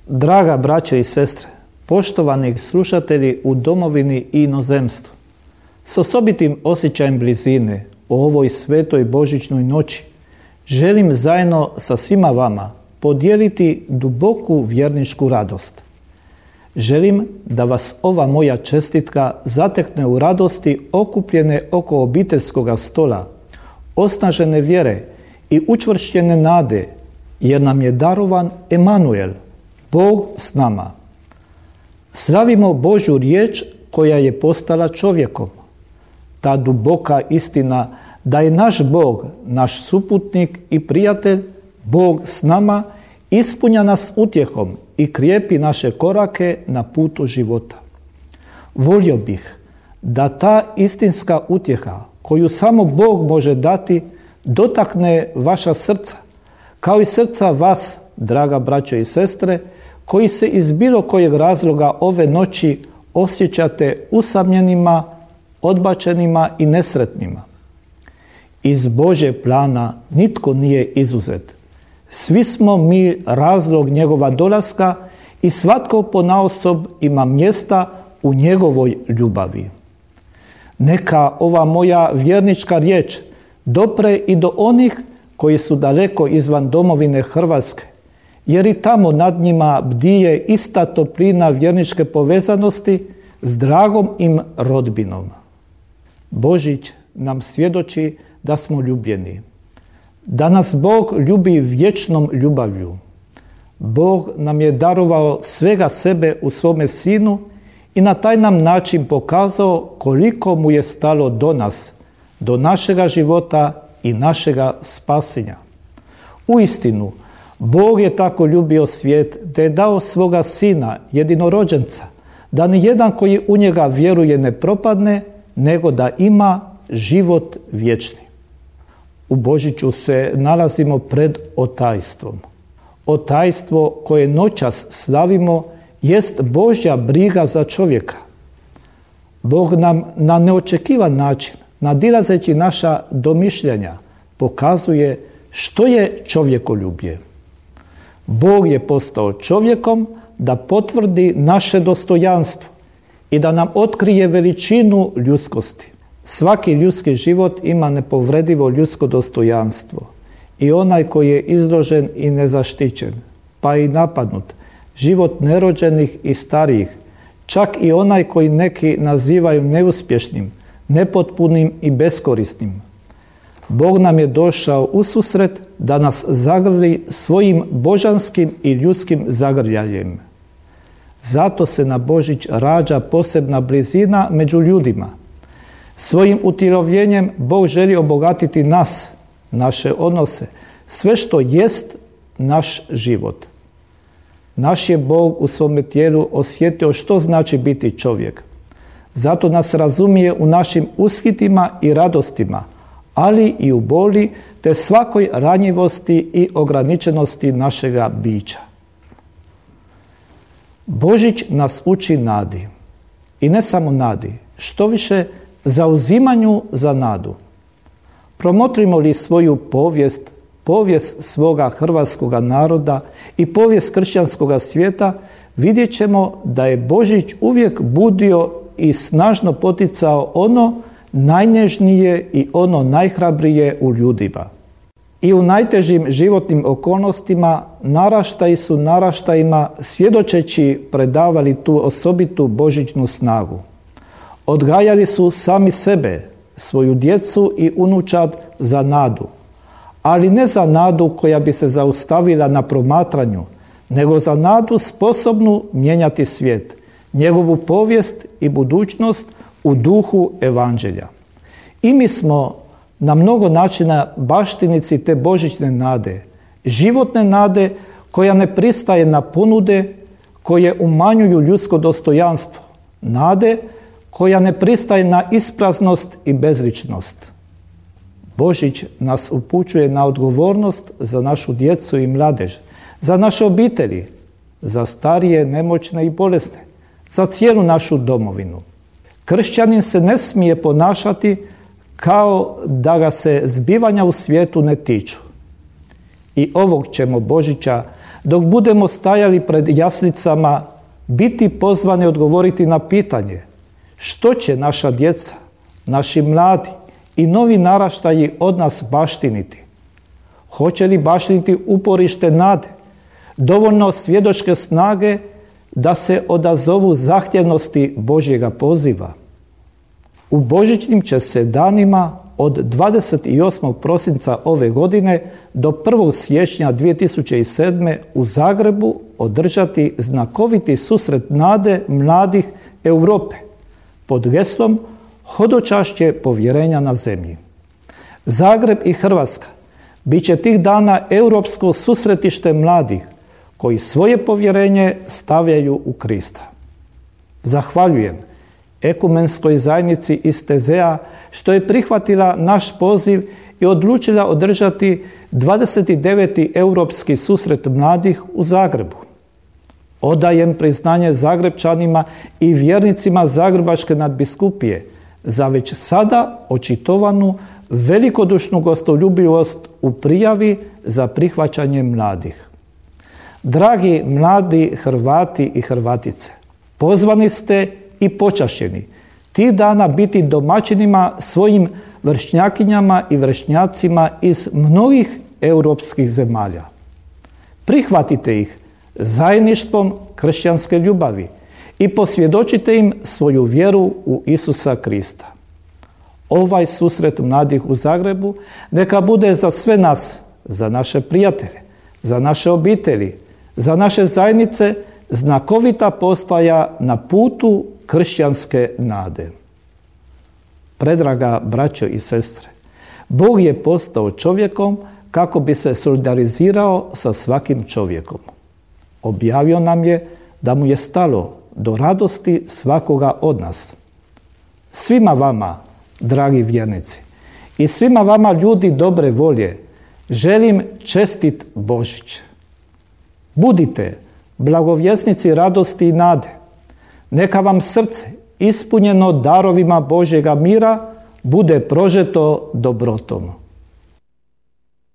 Draga braćo i sestre, poštovani slušatelji u domovini i inozemstvu, s osobitim osjećajem blizine u ovoj svetoj božićnoj noći želim zajedno sa svima vama podijeliti duboku vjerničku radost. Želim da vas ova moja čestitka zatekne u radosti okupljene oko obiteljskoga stola, osnažene vjere i učvršćene nade, jer nam je darovan Emanuel, Bog s nama. Slavimo Božju riječ koja je postala čovjekom. Ta duboka istina da je naš Bog, naš suputnik i prijatelj, Bog s nama, ispunja nas utjehom i krijepi naše korake na putu života. Volio bih da ta istinska utjeha koju samo Bog može dati dotakne vaša srca, kao i srca vas, draga braćo i sestre, koji se iz bilo kojeg razloga ove noći osjećate usamljenima, odbačenima i nesretnima. Iz Božjeg plana nitko nije izuzet. Svi smo mi razlog njegova dolaska i svatko ponaosob ima mjesta u njegovoj ljubavi. Neka ova moja vjernička riječ dopre i do onih koji su daleko izvan domovine Hrvatske, jer i tamo nad njima bdije ista toplina vjerničke povezanosti s dragom im rodbinom. Božić nam svjedoči da smo ljubljeni, da nas Bog ljubi vječnom ljubavlju. Bog nam je darovao svega sebe u svome Sinu i na taj nam način pokazao koliko mu je stalo do nas, do našega života i našega spasenja. Uistinu, Bog je tako ljubio svijet da je dao svoga Sina, jedinorođenca, da ni jedan koji u njega vjeruje ne propadne, nego da ima život vječni. U Božiću se nalazimo pred otajstvom. Otajstvo koje noćas slavimo jest Božja briga za čovjeka. Bog nam na neočekivan način, nadilazeći naša domišljanja, pokazuje što je čovjekoljublje. Bog je postao čovjekom da potvrdi naše dostojanstvo i da nam otkrije veličinu ljudskosti. Svaki ljudski život ima nepovredivo ljudsko dostojanstvo i onaj koji je izložen i nezaštićen, pa i napadnut, život nerođenih i starijih, čak i onaj koji neki nazivaju neuspješnim, nepotpunim i beskorisnim. Bog nam je došao ususret da nas zagrli svojim božanskim i ljudskim zagrljajem. Zato se na Božić rađa posebna blizina među ljudima. Svojim utjelovljenjem Bog želi obogatiti nas, naše odnose, sve što jest naš život. Naš je Bog u svome tijelu osjetio što znači biti čovjek. Zato nas razumije u našim ushitima i radostima, ali i u boli te svakoj ranjivosti i ograničenosti našega bića. Božić nas uči nadi. I ne samo nadi, štoviše zauzimanju za nadu. Promotrimo li svoju povijest svoga hrvatskoga naroda i povijest kršćanskoga svijeta, vidjet ćemo da je Božić uvijek budio i snažno poticao ono najnježnije i ono najhrabrije u ljudima. I u najtežim životnim okolnostima naraštaji su naraštajima svjedočeći predavali tu osobitu božićnu snagu. Odgajali su sami sebe, svoju djecu i unučad za nadu, ali ne za nadu koja bi se zaustavila na promatranju, nego za nadu sposobnu mijenjati svijet, njegovu povijest i budućnost u duhu evanđelja. I mi smo na mnogo načina baštinici te božićne nade, životne nade koja ne pristaje na ponude koje umanjuju ljudsko dostojanstvo, nade koja ne pristaje na ispraznost i bezličnost. Božić nas upućuje na odgovornost za našu djecu i mladež, za naše obitelji, za starije, nemoćne i bolesne, za cijelu našu domovinu. Kršćanin se ne smije ponašati kao da ga se zbivanja u svijetu ne tiču. I ovog ćemo Božića dok budemo stajali pred jaslicama, biti pozvani odgovoriti na pitanje što će naša djeca, naši mladi i novi naraštaji od nas baštiniti. Hoće li baštiniti uporište nade, dovoljno svjedočke snage da se odazovu zahtjevnosti Božjega poziva? U božićnim će se danima od 28. prosinca ove godine do 1. siječnja 2007. u Zagrebu održati znakoviti susret nade mladih Europe pod geslom Hodočašće povjerenja na zemlji. Zagreb i Hrvatska bit će tih dana europsko susretište mladih koji svoje povjerenje stavljaju u Krista. Zahvaljujem Ekumenskoj zajednici iz Tezea što je prihvatila naš poziv i odlučila održati 29. europski susret mladih u Zagrebu. Odajem priznanje Zagrebčanima i vjernicima Zagrebačke nadbiskupije za već sada očitovanu velikodušnu gostoljubivost u prijavi za prihvaćanje mladih. Dragi mladi Hrvati i Hrvatice, pozvani ste i počašćeni tih dana biti domaćinima svojim vršnjakinjama i vršnjacima iz mnogih europskih zemalja. Prihvatite ih zajedništvom kršćanske ljubavi i posvjedočite im svoju vjeru u Isusa Krista. Ovaj susret mladih u Zagrebu neka bude za sve nas, za naše prijatelje, za naše obitelji, za naše zajednice znakovita postaja na putu kršćanske nade. Predraga braćo i sestre, Bog je postao čovjekom kako bi se solidarizirao sa svakim čovjekom. Objavio nam je da mu je stalo do radosti svakoga od nas. Svima vama, dragi vjernici, i svima vama ljudi dobre volje, želim čestit Božić. Budite blagovjesnici radosti i nade. Neka vam srce, ispunjeno darovima Božjega mira, bude prožeto dobrotom.